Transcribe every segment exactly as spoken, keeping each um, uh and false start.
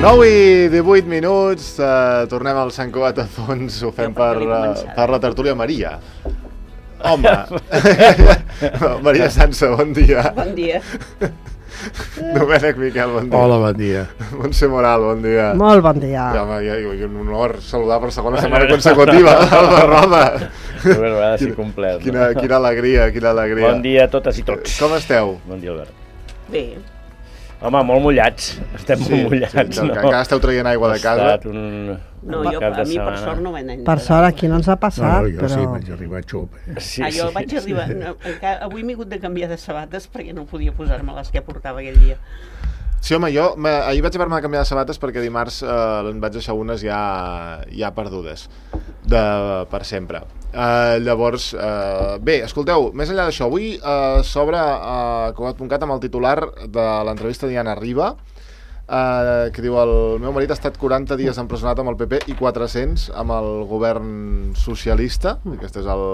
nou i divuit minuts, uh, tornem al Sant Cugat a fons, ho fem per, uh, per la tertúlia Maria. Home, Maria Sansa, bon dia. Bon dia. Domènec Miquel, bon dia. Hola, bon dia. Montse Moral, bon dia. Molt bon dia. Ja, home, ja, i un honor saludar per segona setmana consecutiva Albert Roda. Bueno, ha de ser complet. Quina, quina alegria, quina alegria. Bon dia a totes i tots. Com esteu? Bon dia, Albert. Bé. Home, molt mullats. Estem Sí, molt mullats, sí, no? que encara esteu traient aigua de casa. Ha estat un... No, jo, cap de a mi per setmana. sort no m'he anat. Per sort aquí no ens ha No, passat, no, jo però... sí, vaig arribar a xup. Sí, Ah, jo sí, vaig sí. arribar... No, encara, avui m'he hagut de canviar de sabates perquè no podia posar-me les que portava aquell dia. Sí, home, jo me, ahir vaig haver-me de canviar de sabates perquè dimarts eh, en vaig deixar unes ja, ja perdudes, de, per sempre. Eh, llavors, eh, bé, escolteu, més enllà d'això, avui eh, s'obre a Cugat punt cat amb el titular de l'entrevista de Diana Riba, eh, que diu: el meu marit ha estat quaranta dies empresonat amb el P P i quatre-cents amb el govern socialista. Aquest és el...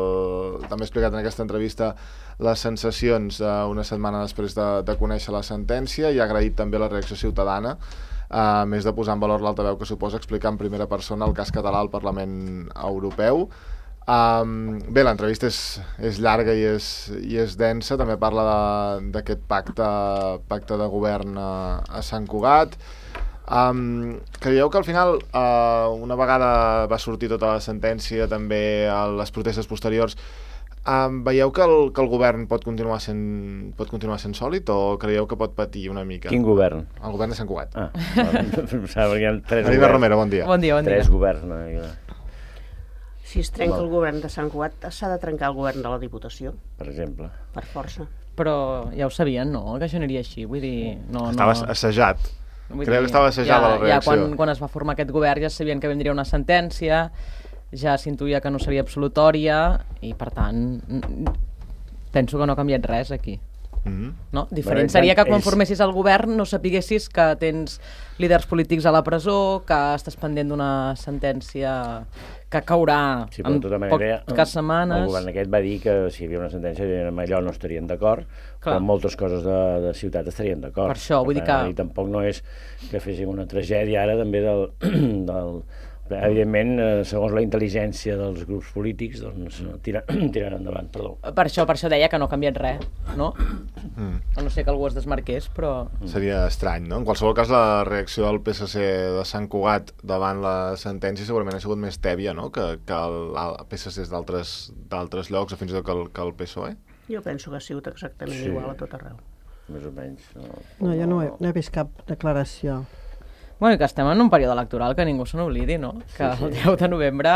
també he explicat en aquesta entrevista les sensacions eh, una setmana després de, de conèixer la sentència, i ha agraït també la reacció ciutadana, eh, a més de posar en valor l'altaveu que suposa explicar en primera persona el cas català al Parlament Europeu. Um, bé, l'entrevista és, és llarga i és, i és densa, també parla d'aquest pacte, pacte de govern a, a Sant Cugat. Um, creieu que al final, uh, una vegada va sortir tota la sentència, també a les protestes posteriors, um, veieu que el, que el govern pot continuar sent, pot continuar sent sòlid, o creieu que pot patir una mica? Quin govern? El govern de Sant Cugat. Ah, pensava que hi ha tres Marina governs. Romero, bon dia. Bon dia, bon dia. Tres governs. No? Si es trenca el govern de Sant Cugat, s'ha de trencar el govern de la Diputació, Per exemple. per força. Però ja ho sabien, no? Que això aniria així, vull dir... No, Estava no... assajat. Vull Creu dir, que estava assajada ja, la reacció. Ja quan, quan es va formar aquest govern ja sabien que vindria una sentència, ja s'intuïa que no seria absolutòria, i per tant penso que no ha canviat res aquí. Mm-hmm. No? Diferent Bé, seria que quan ells- formessis el govern no sapiguessis que tens líders polítics a la presó, que estàs pendent d'una sentència que caurà Sí, però en de tota manera, poques setmanes. el govern aquest va dir que si hi havia una sentència amb allò no estarien d'acord, però en moltes coses de, de ciutat estarien d'acord. Per això, vull dir que- I tampoc no és que féssim una tragèdia ara també del... del evidentment, eh, segons la intel·ligència dels grups polítics, doncs tira, tiran endavant, perdó. Per això, per això deia que no ha canviat res, no? Mm. A no ser que algú es desmarqués, però... Seria estrany, no? En qualsevol cas, la reacció del P S C de Sant Cugat davant la sentència segurament ha sigut més tèbia, no?, que, que el, el P S C d'altres d'altres llocs, o fins i tot que el, que el P S O E. Jo penso que ha sigut exactament Sí. igual a tot arreu. Més o menys. No, No, jo no he, no he vist cap declaració. Bueno, i que estem en un període electoral, que ningú se n'oblidi, no? Que Sí, sí. el deu de novembre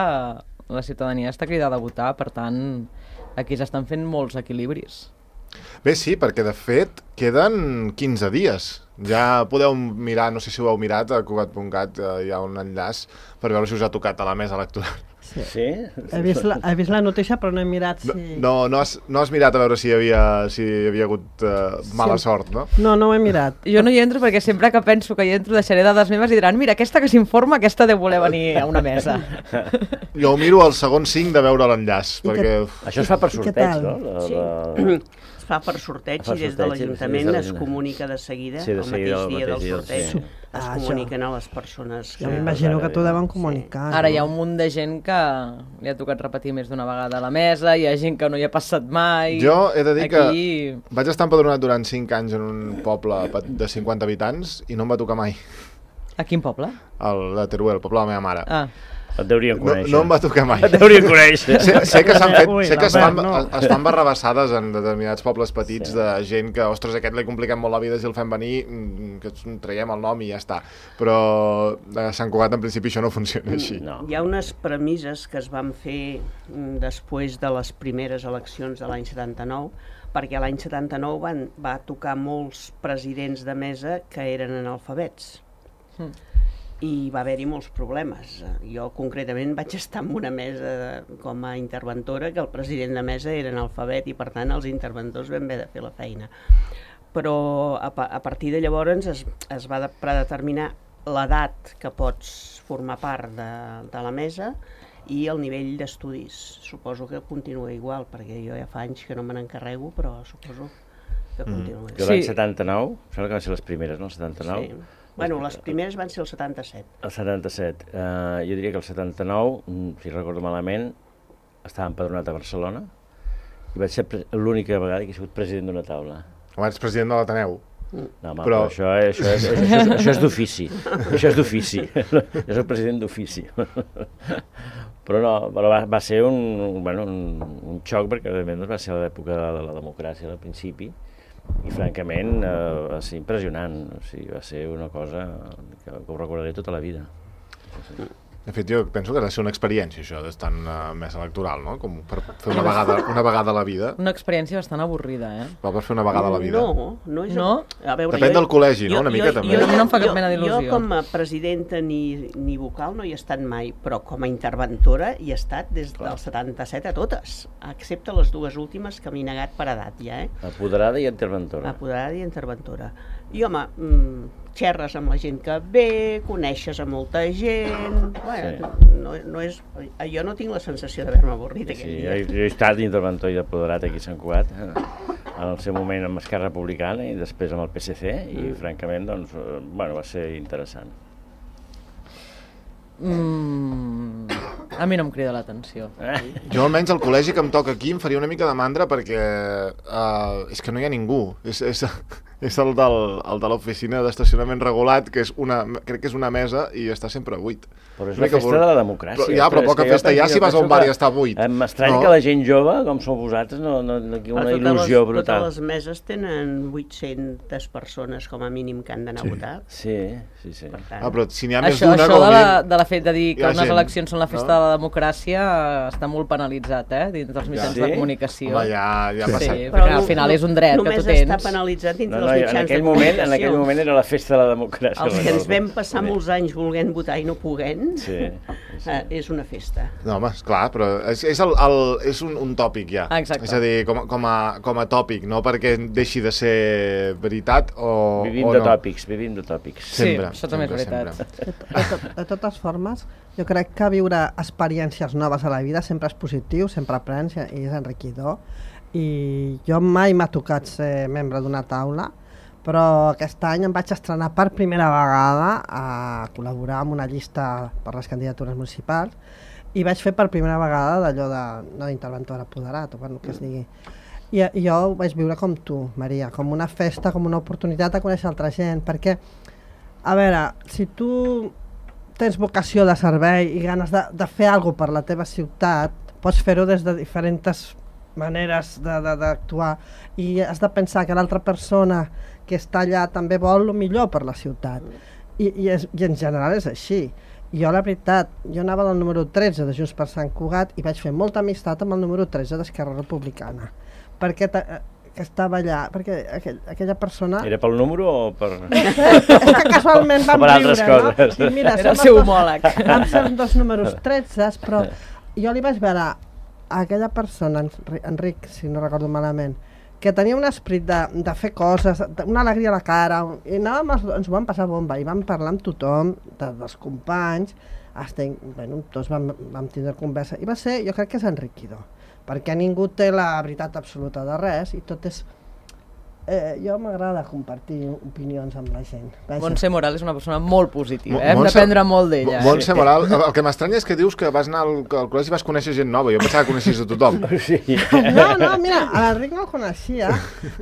la ciutadania està cridada a votar, per tant, aquí s'estan fent molts equilibris. Bé, sí, perquè de fet queden quinze dies. Ja podeu mirar, no sé si ho heu mirat, a Cugat punt cat eh, hi ha un enllaç per veure si us ha tocat a la mesa electoral. Sí. Sí? He vist, la, he vist la notícia, però no he mirat No, si... no, no, has, no has mirat a veure si hi havia, si hi havia hagut uh, mala Sí. sort, no? No, no ho he mirat. Jo no hi entro perquè sempre que penso que hi entro deixaré dades meves i diran mira, aquesta que s'informa, aquesta deu voler venir a una mesa. Jo ho miro al segon cinc de veure l'enllaç, I perquè... Això es fa per I què sorteig, tal? no? La, Sí. la... Es fa per sorteig Es fa i des de sorteig, sí, l'Ajuntament des de es l'Ajuntament. comunica de seguida, Sí, de el seguida, mateix el dia del mateix dia, sorteig, sí. es Ah, comuniquen a les persones. Jo que- m'imagino que t'ho Sí. deuen comunicar. Ara hi ha un munt de gent que li ha tocat repetir més d'una vegada a la mesa, hi ha gent que no hi ha passat mai... Jo he de dir que Aquí... vaig estar empadronat durant cinc anys en un poble pe- de cinquanta habitants i no em va tocar mai. A quin poble? El de Teruel, el poble de la meva mare. Ah, Et deurien No, conèixer. no em va tocar mai. Et deurien conèixer. Sé, sé que s'han fet, Ui, sé que es fan, Albert, no. es fan barrabassades en determinats pobles petits Sí. de gent que, ostres, aquest li compliquem molt la vida si el fem venir, mm, que ens traiem el nom i ja està. Però a Sant Cugat en principi això no funciona així. No. Hi ha unes premisses que es van fer mm, després de les primeres eleccions de l'any setanta-nou, perquè l'any setanta-nou van, va tocar molts presidents de mesa que eren analfabets. Mm. I va haver-hi molts problemes. Jo concretament vaig estar en una mesa de, com a interventora que el president de mesa era analfabet i per tant els interventors vam haver de fer la feina. Però a, pa- a partir de llavors es, es va de, predeterminar l'edat que pots formar part de, de la mesa i el nivell d'estudis. Suposo que continua igual, perquè jo ja fa anys que no me n'encarrego, però suposo que continua Jo igual. l'any Sí. setanta-nou, sembla que van ser les primeres, no? El setanta-nou, Sí. Bueno, les primeres van ser el setanta-set. El setanta-set. Uh, jo diria que el setanta-nou, si recordo malament, estava empadronat a Barcelona i vaig ser l'única vegada que he sigut president d'una taula. Abans president de l'Ateneu. No, home, però... però això, això, és, això, és, això és d'ofici. Això és d'ofici. Jo soc president d'ofici. Però no, però va, va ser un, bueno, un, un xoc, perquè evidentment va ser l'època de la democràcia al principi, i francament eh, va ser impressionant. O sigui, va ser una cosa que, que ho recordaré tota la vida. Sí. De fet, jo penso que ha de ser una experiència, això, d'estar en uh, mesa electoral, no? Com per fer una vegada, una vegada a la vida. Una experiència bastant avorrida, eh? Va per fer una vegada a la vida. No, no és... No? A veure, Depèn jo, del col·legi, no? Jo, Una mica jo, també. Jo, no em fa cap jo, mena d'il·lusió. Jo com a presidenta ni, ni vocal no hi he estat mai, però com a interventora hi he estat des Clar. del setanta-set a totes, excepte les dues últimes que m'he negat per edat ja, eh? Apoderada i interventora. Apoderada i interventora. I home, mmm, xerres amb la gent que ve, coneixes a molta gent... Bueno, Sí. no, no és, jo no tinc la sensació d'haver-me avorrit aquell Sí, dia. jo, jo he estat interventor i apoderat aquí a Sant Cugat, eh, en el seu moment amb Esquerra Republicana i després amb el P S C, i Mm. francament doncs, eh, bueno, va ser interessant. Mm, a mi no em crida l'atenció. Eh? Jo almenys al col·legi que em toca aquí em faria una mica de mandra perquè uh, és que no hi ha ningú. És, és, és el, del, el de l'oficina d'estacionament regulat, que és una, crec que és una mesa i està sempre buit. Però és Una la mica festa bur- de la democràcia. Però, ja, però és poca que jo festa penso- hi ha si jo vas a un penso bar que i està buit. M'estranya No. que la gent jove, com sou vosaltres, no, no, no, una Totes il·lusió les, brutal. Totes les meses tenen vuit-centes persones com a mínim que han d'anar a votar. Sí, sí, sí. Per tant, Ah, però si n'hi ha més Això, d'una... això com a de, la, mínim- de la fet de dir hi que ha unes gent, eleccions són la festa no? de la democràcia eh, està molt penalitzat, eh, dins dels mitjans Sí? de comunicació. Home, ja, ja ha Sí, passat. perquè al final és un dret que tu només tens. està penalitzat dintre No, no, dels en mitjans aquell de moment, comunicació. en aquell moment era la festa de la democràcia. Els que ens recordo. vam passar Sí. molts anys volent votar i no poguent, Sí, sí. eh, és una festa. No, home, esclar, però és, és, el, el, és un, un tòpic ja. Ah, exacte. És a dir, com, a- com, a, com a tòpic, no perquè deixi de ser veritat o, Vivim o de no. tòpics, vivim de tòpics. Sempre, sí, això també és sempre, veritat. sempre. De, de, to- de totes formes, jo crec que viure experiències noves a la vida sempre és positiu, sempre aprens i és enriquidor. I jo mai m'ha tocat ser membre d'una taula, però aquest any em vaig estrenar per primera vegada a col·laborar amb una llista per les candidatures municipals i vaig fer per primera vegada d'allò de, no d'interventor apoderat, o bueno, que es digui. I, I jo ho vaig viure com tu, Maria, com una festa, com una oportunitat de conèixer altra gent, perquè, a veure, si tu tens vocació de servei i ganes de, de fer alguna cosa per la teva ciutat, pots fer-ho des de diferents maneres d'actuar i has de pensar que l'altra persona que està allà també vol el millor per la ciutat. I, i, és, i en general és així. Jo, la veritat, jo anava del número tretze de Junts per Sant Cugat i vaig fer molta amistat amb el número tretze d'Esquerra Republicana, perquè que estava allà, perquè aquell, aquella persona... Era pel número o per... És que casualment vam O per altres viure, coses. no? I mira, Era el som seu els dos- homòleg. Vam ser els dos números tretze, però jo li vaig veure a aquella persona, Enri- Enric, si no recordo malament, que tenia un esperit de, de fer coses, de- una alegria a la cara, i anàvem, els- ens ho vam passar bomba, i vam parlar amb tothom, de, dels companys, hasta, bueno, tots vam, vam tindre conversa, i va ser, jo crec que és enriquidor, perquè ningú té la veritat absoluta de res, i tot és... Eh, jo m'agrada compartir opinions amb la gent. Vaja. Montse Moral és una persona molt positiva, Mo- eh? hem Montse- d'aprendre molt d'ella. Mo- Montse Moral, el el que m'estranya és que dius que vas anar al, al col·legi i vas conèixer gent nova. Jo pensava que coneixies a tothom. Sí. No, no, mira, a l'Enric no el coneixia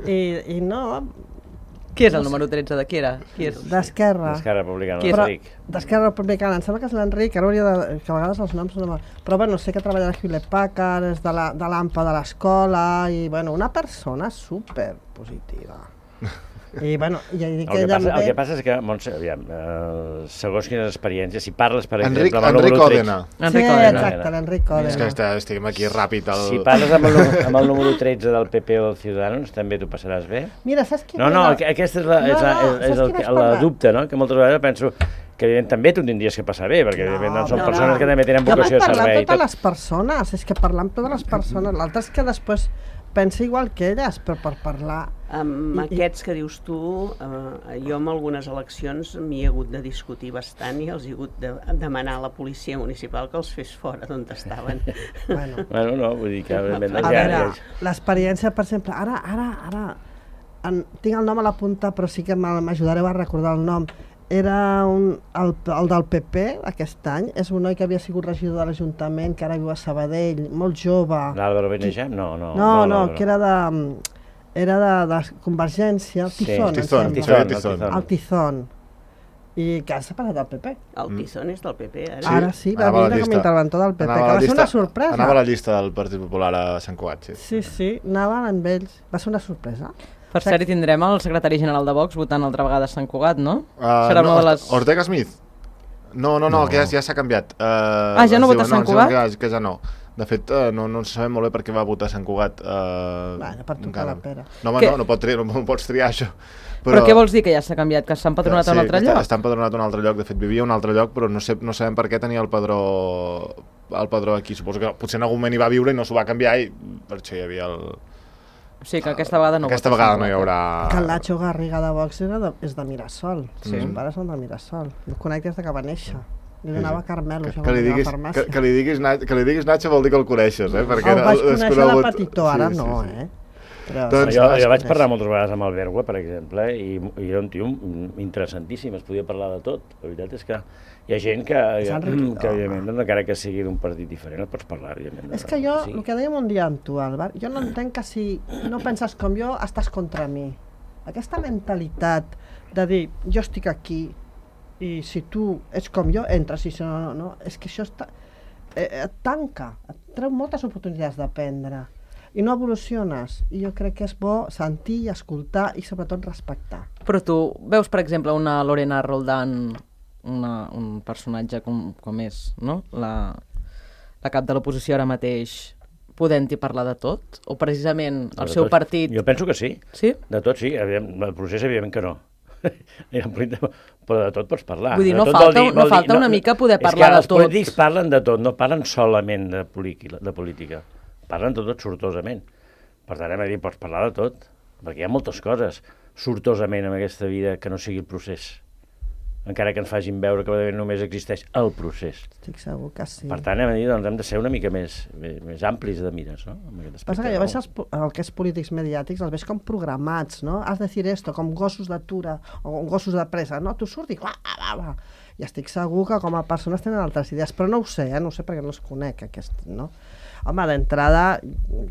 i, i no, Qui és el número tretze de qui era? Qui és? d'Esquerra. Esquerra Republicana, Qui és? l'Enric. D'Esquerra Republicana, em sembla que és l'Enric, ara hauria de... que a vegades els noms no... me- Però bueno, sé que treballa a Hewlett Packard, és de la- de l'AMPA de l'escola i bueno, una persona super positiva. I bueno, ja dic El que que, ella passa, em el que ve... passa és que, Montse, aviam, eh, segons quines experiències, si parles, per Enric, exemple, amb el Enric número tretze... Òdena. Enric Sí, Òdena. exacte, l'Enric És que Òdena. està, estic aquí ràpid. El... Si parles amb el, nu- amb el número tretze del P P o del Ciudadanos, també t'ho passaràs bé? Mira, saps qui... No, no, aqu- aquesta és la, No, és la, no, és, saps és el, qui vaig que- la parlar? dubte, no? Que moltes vegades penso que evident també tu tindries que passar bé, perquè evidentment doncs, són no, persones no. que també tenen Jo vocació de vaig parlar servei. amb i tot. totes les persones, és que parlar amb totes les persones, l'altre és que després pensa igual que elles, però per parlar... Amb I- i- aquests que dius tu, eh, jo en algunes eleccions m'hi he hagut de discutir bastant i els he hagut de demanar a la policia municipal que els fes fora d'on estaven. Bueno, Bueno, no, vull dir que evidentment... a doncs, ja- veure, ja- l'experiència, per exemple, ara, ara, ara, en, tinc el nom a la punta, però sí que me- m'ajudareu a recordar el nom. era un, el, el del P P aquest any, és un noi que havia sigut regidor de l'Ajuntament, que ara viu a Sabadell, molt jove. L'Àlvaro Benejam? No, no. No, no, no que era de, era de, de Convergència, el Tizón, sí, Tizón, em Tizón, sembla. Tizón. El Tizón. I que ha separat del P P. El Tizón és del P P, ara. Sí, ara sí, va anava a la vindre com a llista. interventor del P P, Anava que a la va ser llista- una sorpresa. Anava a la llista del Partit Popular a Sant Cugat, sí. Sí, sí, anava amb ells. Va ser una sorpresa. Per cert, hi tindrem el secretari general de Vox votant altra vegada a Sant Cugat, no? Uh, Serà no, una de les... Ortega Smith? No, no, no, No. que ja, ja s'ha canviat. Uh, Ah, ja no es vota a diu- Sant ens diuen Cugat? Que, que ja no. De fet, uh, no, no sabem molt bé per què va votar a Sant Cugat. Uh, Bueno, per tocar la pera. No, home, Que- no, no, pot triar, no, no pots triar això. Però... però què vols dir, que ja s'ha canviat, que s'ha empadronat a un altre sí, lloc? Està, està empadronat a un altre lloc, de fet vivia a un altre lloc, però no, sé, no sabem per què tenia el padró, el padró aquí. Suposo que potser en algun moment hi va viure i no s'ho va canviar i per això hi havia el... O sigui que aquesta vegada no Aquesta vota a vegada Sant no hi Cugat. haurà... Que el Nacho Garriga de Vox era de, és de Mirasol. Sí. Els pares són de Mirasol. El conec des de que va néixer. Li donava Carmelo, Que, això, que, quan li anava a diguis, la que, farmàcia. que, li diguis, Na- que li diguis Nacho vol dir que el coneixes, eh? Perquè El vaig és conèixer de conegut. petitó, ara Sí, sí, no, sí. eh? Però Doncs- sí, Jo, el jo vaig conèixer. parlar moltes vegades amb el Bergua, per exemple, i, i era un tio interessantíssim, es podia parlar de tot. La veritat és que hi ha gent que, És que, enriquidor. que evidentment, doncs, encara que sigui d'un partit diferent, et pots parlar, evidentment. És que jo, Sí. el que dèiem un dia amb tu, Albert, jo no entenc que si no penses com jo, estàs contra mi. Aquesta mentalitat de dir, jo estic aquí i si tu ets com jo, entres, i si no, no, no, és que això està, eh, et tanca, et treu moltes oportunitats d'aprendre i no evoluciones. I jo crec que és bo sentir i escoltar i sobretot respectar. Però tu veus, per exemple, una Lorena Roldán, una, un personatge com, com és, no? La, la cap de l'oposició ara mateix, podent-hi parlar de tot? O precisament el De seu tot. partit... Jo penso que sí. Sí? De tot sí, evident, el procés evidentment que no. Però de tot pots parlar. Vull dir, De no tot falta- vol dir- no vol dir- falta una mica poder parlar de És que tot. els polítics parlen de tot, no parlen solament de, política, de política. Parlen de tot sortosament. Per tant, hem de dir, pots parlar de tot, perquè hi ha moltes coses sortosament en aquesta vida que no sigui el procés. Encara que ens facin veure que només existeix el procés. Estic segur que sí. Per tant, hem de dir, doncs hem de ser una mica més, més, més amplis de mires, no? En aquest Passa aspecte. que jo veig els, po- el que és polítics mediàtics, els veig com programats, no? Has de dir esto, com gossos d'atura o gossos de pressa, no? Tu surt i va, va, va. I estic segur que com a persones tenen altres idees, però no ho sé, eh? No ho sé perquè no els conec, aquest, no? Home, d'entrada,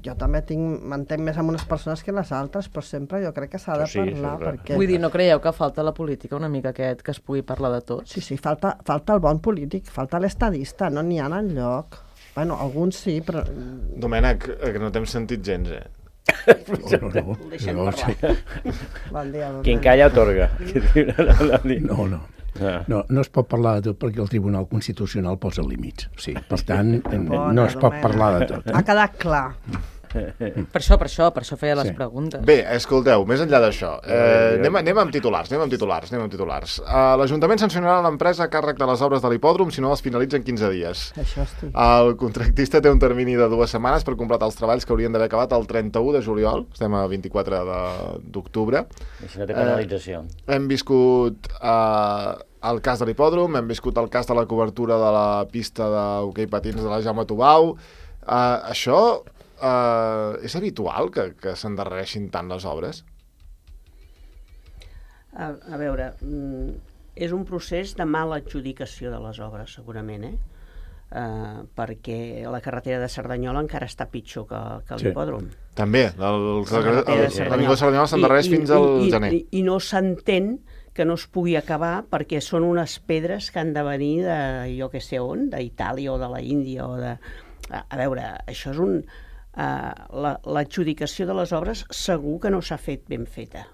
jo també tinc, m'entenc més amb unes persones que les altres, però sempre jo crec que s'ha de Això sí, parlar, això és clar. perquè... Vull dir, no creieu que falta a la política una mica aquest, que es pugui parlar de tot? Sí, sí, falta, falta el bon polític, falta l'estadista, no n'hi ha enlloc. Bueno, alguns sí, però... Domènec, eh, que no t'hem sentit gens, eh? No, no, no. Deixem No, parlar. Bon dia, Quien Domènec. calla otorga. no, no. Ah. No, no es pot parlar de tot perquè el Tribunal Constitucional posa límits. Sí, per tant, Bona, no es pot Domènec. parlar de tot. Ha quedat clar. Per això, per això, per això feia les Sí. preguntes. Bé, escolteu, més enllà d'això, eh, anem, anem amb titulars, anem amb titulars, anem amb titulars. Uh, L'Ajuntament sancionarà l'empresa a càrrec de les obres de l'hipòdrom si no les finalitza en quinze dies. Això estic. El contractista té un termini de dues setmanes per completar els treballs que haurien d'haver acabat el trenta-u de juliol, estem a vint-i-quatre d'octubre. I si no té penalització. Hem viscut eh, el cas de l'hipòdrom, hem viscut el cas de la cobertura de la pista d'hoquei patins de la Jaume Tubau. Eh, això eh, és habitual que, que s'endarrereixin tant les obres? A, a veure, mm, és un procés de mala adjudicació de les obres, segurament, eh? Uh, perquè la carretera de Cerdanyola encara està pitjor que, que Sí. l'hipòdrom. També, el, el, el, el, carretera de el, Cerdanyola. Ningú de Cerdanyola s'endarrereix I- i- fins al i, i, gener. I, I no s'entén que no es pugui acabar perquè són unes pedres que han de venir de jo que sé on, d'Itàlia o de la Índia o de... A, a veure, això és un... Uh, l'adjudicació de les obres segur que no s'ha fet ben feta.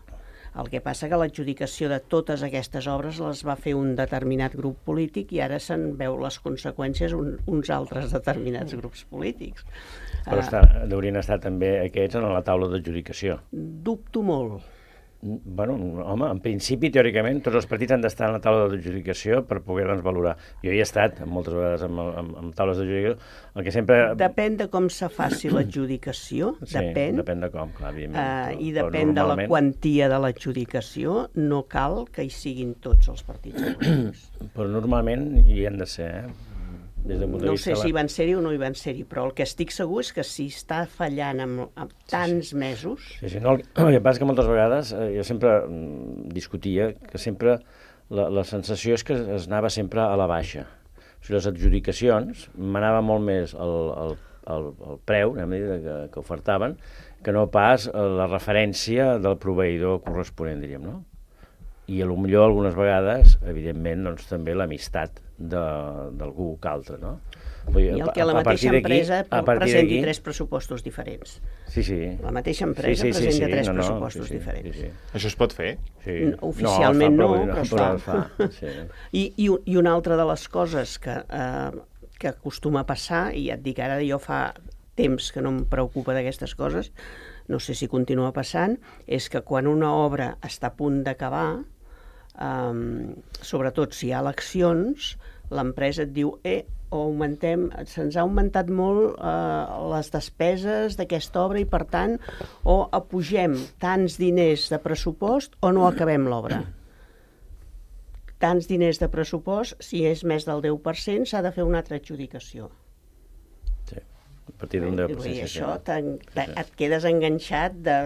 El que passa que l'adjudicació de totes aquestes obres les va fer un determinat grup polític i ara se'n veu les conseqüències un, uns altres determinats grups polítics. Però Uh, està, haurien estat també aquests en la taula d'adjudicació. dubto molt. Bueno, home, en principi, teòricament, tots els partits han d'estar en la taula d'adjudicació per poder-nos valorar. Jo hi he estat moltes vegades amb, amb, amb taules d'adjudicació, el que sempre... Depèn de com se faci l'adjudicació, Sí, depèn, depèn de com, clar, evidentment. uh, però- i però depèn de la normalment- quantia de l'adjudicació, no cal que hi siguin tots els partits polítics. Però normalment hi han de ser, eh? Des del punt de No vista sé de si la- van ser-hi o no hi van ser-hi, però el que estic segur és que si està fallant amb, amb tants mesos... Sí, sí, no, el, el que passa és que moltes vegades eh, jo sempre mm, discutia que sempre la, la sensació és que es anava sempre a la baixa. O sigui, les adjudicacions manava molt més el, el, el, el preu, anem a dir, que, que ofertaven, que no pas la referència del proveïdor corresponent, diríem, no? I a lo millor algunes vegades, evidentment, doncs, també l'amistat d'algú que altre, no? I el que la mateixa empresa presenti tres pressupostos diferents. Sí, sí. La mateixa empresa sí, sí, presenta sí, sí. tres no, no, pressupostos sí, sí, diferents. Sí, sí. Això es pot fer? Sí. Oficialment no, no, però, però es fa. fa sí. I, i, I una altra de les coses que, eh, que acostuma a passar, i ja et dic ara, jo fa temps que no em preocupa d'aquestes coses, no sé si continua passant, és que quan una obra està a punt d'acabar, Um, sobretot si hi ha eleccions, l'empresa et diu eh, o augmentem, se'ns ha augmentat molt eh, les despeses d'aquesta obra i per tant o apugem tants diners de pressupost o no acabem l'obra. Tants diners de pressupost, si és més del deu per cent, s'ha de fer una altra adjudicació. Sí, a partir d'un deu per cent. I això sí, sí. Et quedes enganxat de...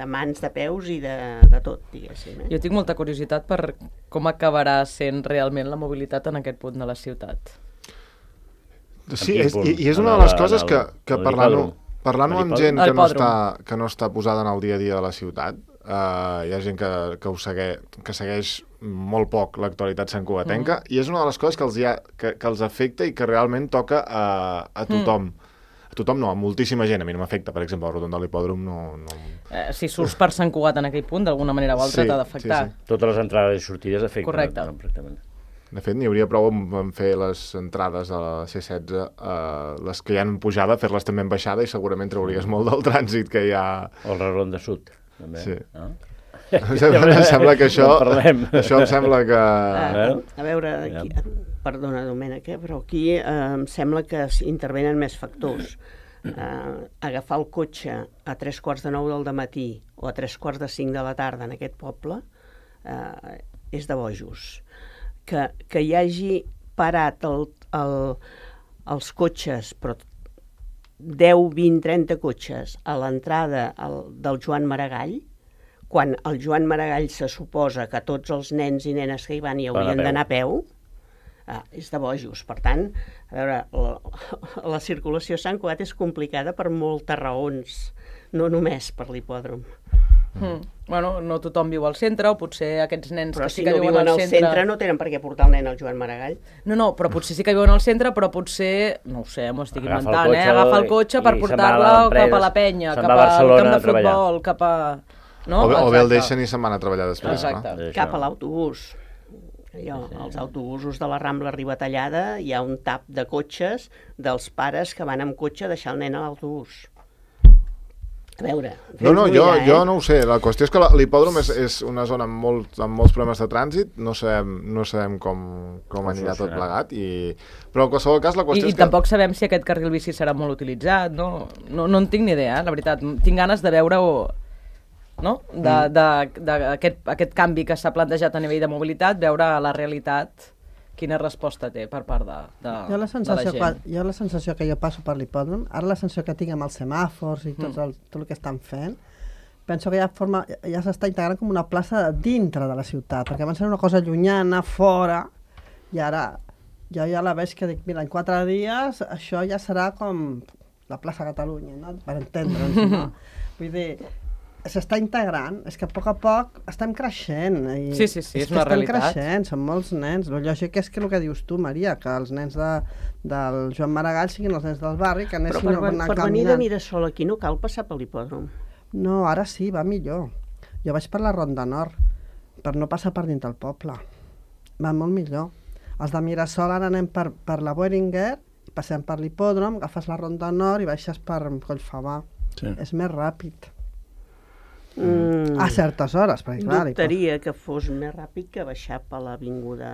de mans, de peus i de, de tot, diguéssim. Eh? Jo tinc molta curiositat per com acabarà sent realment la mobilitat en aquest punt de la ciutat. Sí, és, i, i és una de les coses que, que parlant-ho parlant amb gent que no, està, que no està posada en el dia a dia de la ciutat, uh, hi ha gent que, que, ho segue, que segueix molt poc l'actualitat santcugatenca, mm. i és una de les coses que els, ha, que, que els afecta i que realment toca a, a tothom. Mm. A tothom no, a moltíssima gent. A mi no m'afecta, per exemple, el rotonda de l'hipòdrom no... no... Eh, si surts per Sant Cugat en aquell punt, d'alguna manera o altra sí, t'ha d'afectar. Sí, sí. Totes les entrades i sortides afecten. Correcte. Completament. De fet, n'hi hauria prou en fer les entrades a la C setze, eh, les que hi han pujada, fer-les també en baixada i segurament trauries molt del trànsit que hi ha... O el Reron de Sud, també. Sí. No? Em sembla que això... Això em sembla que... A, a veure, aquí, perdona, Domènec, eh, però aquí eh, em sembla que intervenen més factors. Eh, agafar el cotxe a tres quarts de nou del dematí o a tres quarts de cinc de la tarda en aquest poble eh, és de bojos. Que, que hi hagi parat el, el, els cotxes, però deu, vint, trenta cotxes a l'entrada del Joan Maragall, quan el Joan Maragall se suposa que tots els nens i nenes que hi van hi haurien d'anar a peu, ah, és de bojos. Per tant, a veure, la, la circulació a Sant Cugat és complicada per moltes raons, no només per l'hipòdrom. Mm. Bueno, no tothom viu al centre, o potser aquests nens però que si sí que no viuen al centre... centre no tenen per què portar el nen al Joan Maragall. No, no, però potser sí que viuen al centre, però potser, no ho sé, m'ho estic Agafa inventant, eh? Agafa el cotxe per portar-la cap a la penya, cap al camp de futbol, cap a... No? O, bé, o bé el deixen i se'n van a treballar després. Exacte. No? Cap a l'autobús. Jo, als autobusos de la Rambla Ribatallada hi ha un tap de cotxes dels pares que van amb cotxe a deixar el nen a l'autobús. A veure... No, no, jo, mirar, eh? jo no ho sé. La qüestió és que l'hipòdrom és, és una zona amb, molt, amb molts problemes de trànsit, no sabem, no sabem com, com anirà tot plegat, i... però en qualsevol cas la qüestió I, és que... I tampoc sabem si aquest carril bici serà molt utilitzat, no? No, no en tinc ni idea, eh? La veritat. Tinc ganes de veure-ho... No? De, de, de, de aquest, aquest canvi que s'ha plantejat a nivell de mobilitat, veure la realitat quina resposta té per part de, de, jo la sensació, de la gent. Quan, jo la sensació que jo passo per l'hipòdrom, ara la sensació que tinc amb els semàfors i tot, el, tot el que estan fent, penso que ja, forma, ja s'està integrant com una plaça dintre de la ciutat, perquè abans era una cosa llunyana, fora, i ara jo ja la veig que dic, mira, en quatre dies això ja serà com la plaça Catalunya, no? Per entendre'ns, no? Vull dir, s'està integrant, és que a poc a poc estem creixent. I sí, sí, sí, és, és una realitat. Estem creixent, són molts nens. El lògic és que el que dius tu, Maria, que els nens de, del Joan Maragall siguin els nens del barri, que anessin Però per, a anar per venir de Mirasol aquí no cal passar per l'hipòdrom. No, ara sí, va millor. Jo vaig per la Ronda Nord, per no passar per dins del poble. Va molt millor. Els de Mirasol ara anem per, per la Boehringer, passem per l'hipòdrom, agafes la Ronda Nord i baixes per Collfabà. Sí. És més ràpid. Mm. A certes hores, perquè clar... Dubtaria que fos més ràpid que baixar per l'avinguda...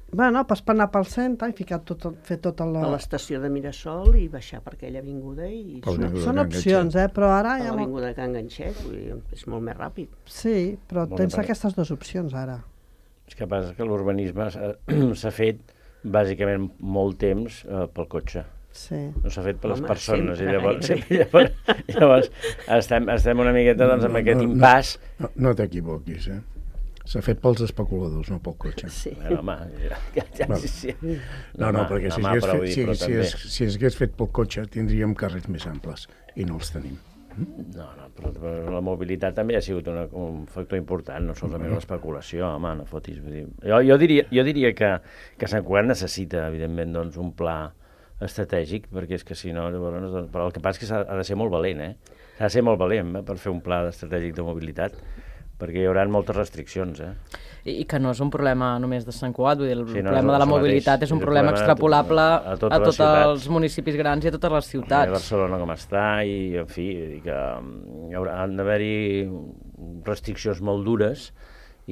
Bueno, pots anar pel centre i ficar tot, fer tot el... A l'estació de Mirasol i baixar per aquella avinguda i... Són, són opcions, eh? Però ara... A l'avinguda de Can Ganxet, és molt més ràpid. Sí, però molt tens aquestes dues opcions ara. És que passa que l'urbanisme s'ha fet bàsicament molt temps eh, pel cotxe. Sí. No s'ha fet per les Home, persones sempre, i llavors, llavors, llavors estem, estem una miqueta doncs, amb aquest impàs. No, no, no t'equivoquis, eh? S'ha fet pels especuladors, no pel cotxe. Sí. Bueno, home, ja, ja, ja, Bueno. sí, sí. No, no, perquè si home, hagués però fet, vull dir, si, però si, també- es, si es hagués fet pel cotxe tindríem carrers més amples i no els tenim. No, no, però, però la mobilitat també ha sigut una, un factor important, no solament l'especulació, home, no fotis. Vull dir. Jo, jo, diria, jo diria que, que Sant Cugat necessita, evidentment, doncs, un pla estratègic, perquè és que si no, llavors, doncs, però el que passa és que s'ha ha de ser molt valent, eh? S'ha de ser molt valent eh, per fer un pla estratègic de mobilitat, perquè hi haurà moltes restriccions, eh? I, I que no és un problema només de Sant Cugat, vull dir, el Sí, no, problema és de la el mobilitat mateix, és un és el problema problema de extrapolable tot- a a, totes les tots ciutats. els municipis grans i a totes les A ciutats. Barcelona com està, i, en fi, vull dir que mm, hi haurà, han d'haver-hi restriccions molt dures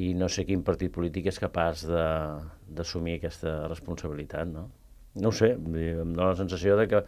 i no sé quin partit polític és capaç de- d'assumir aquesta responsabilitat, no? No ho sé, vull dir, em dóna la sensació de que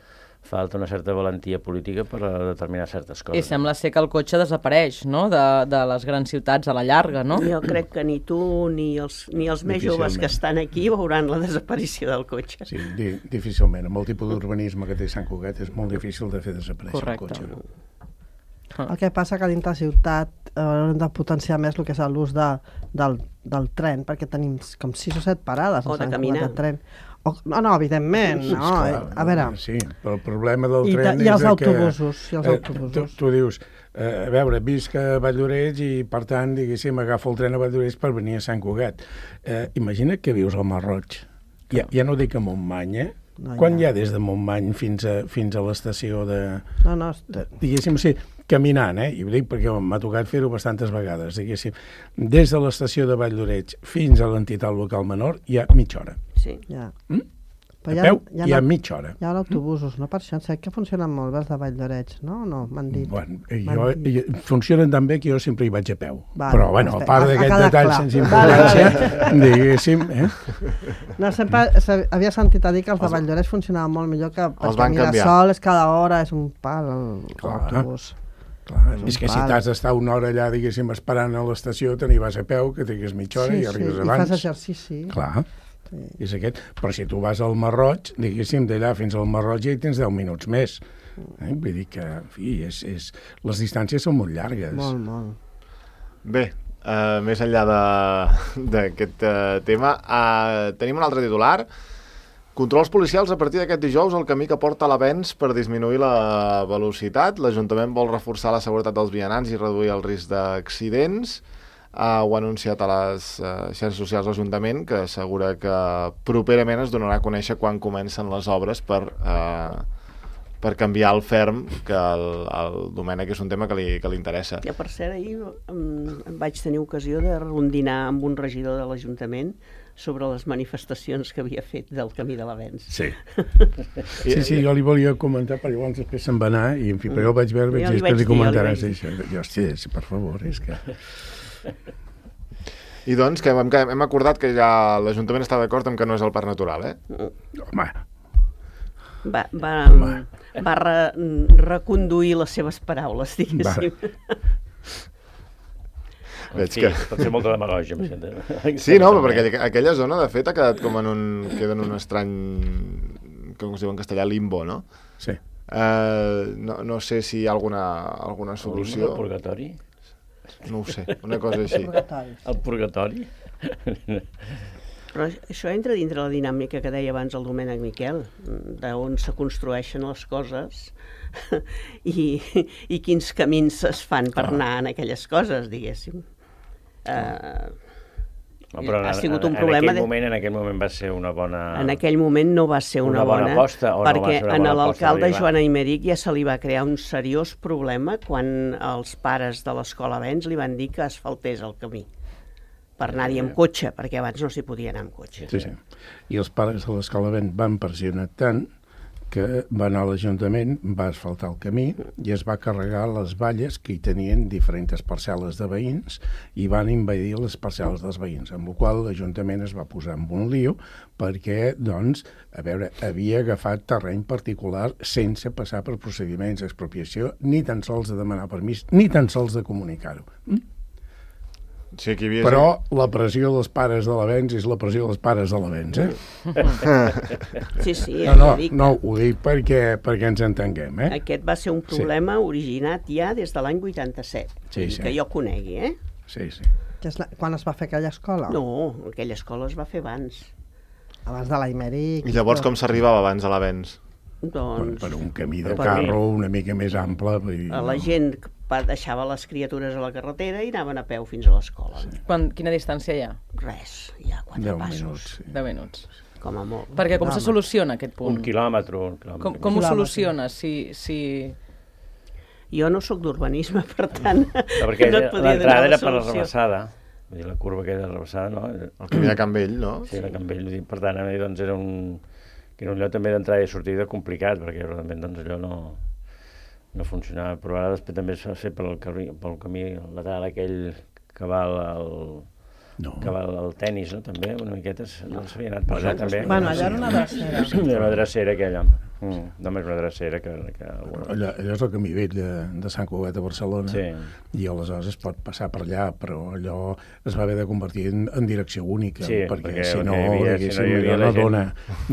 falta una certa valentia política per a determinar certes I coses. sembla ser que el cotxe desapareix, no?, de, de les grans ciutats a la llarga, no? Jo crec que ni tu ni els, ni els més joves que Difícilment. estan aquí veuran la desaparició del cotxe. Sí, di, difícilment. Amb el tipus d'urbanisme que té Sant Cugat és molt difícil de fer desaparèixer Correcte. el cotxe. El que passa que dintre la ciutat eh, hem de potenciar més el que és l'ús de, del, del tren, perquè tenim com sis o set parades O a de Sant caminar. Cugat de tren. O, no, no, evidentment, no. Esclar, a veure, Sí, però el problema del I ta- tren i els és de que... autobusos, i els eh, autobusos. Tu, tu dius, eh, a veure, visc a Valldoreix i, per tant, diguéssim, agafo el tren a Valldoreix per venir a Sant Cugat. Eh, imagina't que vius al Masroig. Ja, ja no dic a Montmany, eh? No, Quan ja. hi ha des de Montmany fins a, fins a l'estació de... no, no, de diguéssim, sí, caminant, eh? I ho dic perquè m'ha tocat fer-ho bastantes vegades, diguéssim. Des de l'estació de Valldoreix fins a l'entitat local menor hi ha mitja hora. Sí. ja. Mm? Però A hi ha, peu hi ha, hi ha mitja hora. hi ha autobusos, no? Per això em sembla que funcionen molt bé els de Valldoreix, no? No, m'han dit. Bueno, eh, M'han jo, dit. eh, funcionen tan bé que jo sempre hi vaig a peu. Vale, Però, bueno, a perfecte. part Ha- ha d'aquest quedat detall clar. sense Vale, importància, diguéssim, eh? No, sempre se- havia sentit a dir que els de Valldoreix funcionaven molt millor que Els perquè van canviar. Mirasol és cada hora, és un pal el- Clar. l'autobús. Clar, un és que si pal. t'has d'estar una hora allà, diguéssim, esperant a l'estació, te n'hi vas a peu, que trigues mitja hora Sí, i sí, arribes i abans. fas exercici. Clar, Sí. és aquest. Però si tu vas al Masroig, diguéssim, d'allà fins al Masroig ja hi tens deu minuts més. Eh? Vull dir que, en fi, és, és... les distàncies són molt llargues. Molt, molt. Bé, uh, més enllà de- d'aquest uh, tema, uh, tenim un altre titular. Controls policials a partir d'aquest dijous el camí que porta a l'avenç per disminuir la velocitat. L'Ajuntament vol reforçar la seguretat dels vianants i reduir el risc d'accidents. Uh, ho ha anunciat a les uh, xarxes socials l'Ajuntament, que assegura que properament es donarà a conèixer quan comencen les obres per, uh, per canviar el ferm, que el, el Domènec és un tema que li, que li interessa. Ja, per cert, ahir em, em vaig tenir ocasió de rondinar amb un regidor de l'Ajuntament sobre les manifestacions que havia fet del Camí de l'Avenç. Sí. Sí, sí, jo li volia comentar, però llavors després se'n va anar, i en fi, però jo el vaig veure, vaig Jo dir, li vaig després li dir, jo li comentaràs vaig això. Jo, hòstia, sí, per favor, és que... I doncs, que hem, que hem acordat que ja l'Ajuntament està d'acord amb que no és el parc natural, eh? Home, Va, va, Home. va re, reconduir les seves paraules, diguéssim. En Veig fi, que- pot ser molta demagògia, em sembla. Sí, no, perquè aqu- aquella zona, de fet, ha quedat com en un... queda en un estrany... com es diu en castellà, limbo, no? sí. Uh, no, no sé si hi ha alguna, alguna El solució. purgatori? No ho sé, una cosa així. El purgatori? Però això entra dintre la dinàmica que deia abans el Domènec Miquel, d'on se construeixen les coses i, i quins camins es fan per anar en aquelles coses, diguéssim. Uh, No, però ha en, sigut en, un problema en, aquell de- moment, en aquell moment va ser una bona... En aquell moment no va ser una, Una bona aposta, o no va perquè ser una a bona l'alcalde aposta, Joan Aymeric ja se li va crear un seriós problema quan els pares de l'escola Avenç li van dir que asfaltés el camí per anar-hi amb cotxe, perquè abans no s'hi podia anar amb cotxe. Sí, sí. I els pares de l'escola Vent van pressionar tant que va anar a l'Ajuntament, va asfaltar el camí i es va carregar les valles que hi tenien diferents parcel·les de veïns i van invadir les parcel·les dels veïns, amb la qual l'Ajuntament es va posar en un lío perquè, doncs, a veure, havia agafat terreny particular sense passar per procediments d'expropiació, ni tan sols de demanar permís, ni tan sols de comunicar-ho. Mm? Sí, aquí havia... Però la pressió dels pares de l'Avenç és la pressió dels pares de l'Avenç, eh? Sí, sí, No, no, ja dic, no, ho dic perquè, perquè ens entenguem, eh? aquest va ser un problema originat ja des de l'any vuitanta-set, Sí, vull dir sí. que jo conegui, eh? Sí, sí. Que és la... Quan es va fer aquella escola? No, aquella escola es va fer abans. Abans de l'Aimeric. I llavors com s'arribava abans a l'Avenç? Doncs... Per un camí de per carro una mica més ample. Vull dir, la no. gent va, deixava les criatures a la carretera i anaven a peu fins a l'escola. Sí. Quan, quina distància hi ha? Res, hi ha quatre Deu passos, minuts, sí. deu minuts. com a molt. Perquè com No, se home. soluciona aquest punt? Un quilòmetre. Un quilòmetre. Com, com ho Quilòmetre. soluciona? Si, si... Jo no sóc d'urbanisme, per tant, No, perquè no et podia l'entrada donar era la per la solució. rebassada. Vull dir, la curva que era rebassada, no? El camí de Can Vell, no? Sí, era Can Vell. Vull dir, per tant, a mi, doncs, era un, que era un lloc també d'entrada i sortida complicat, perquè realment doncs, allò no, no funcionava. Però ara després també es va fer pel, camí, pel camí lateral aquell que va al, No. que va al tennis, no? També, una miqueta, no s'havia anat per allà, també. Bueno, allà era una drecera. Era una drecera, aquella. Mm, només una drecera que... que... Allò, allò és el camí vell de, de Sant Cugat a Barcelona, Sí. i aleshores es pot passar per allà, però allò es va haver de convertir en, en direcció única, Sí, perquè, perquè si el no, que hi havia- diguéssim, si no hi havia allò la no gent, dona,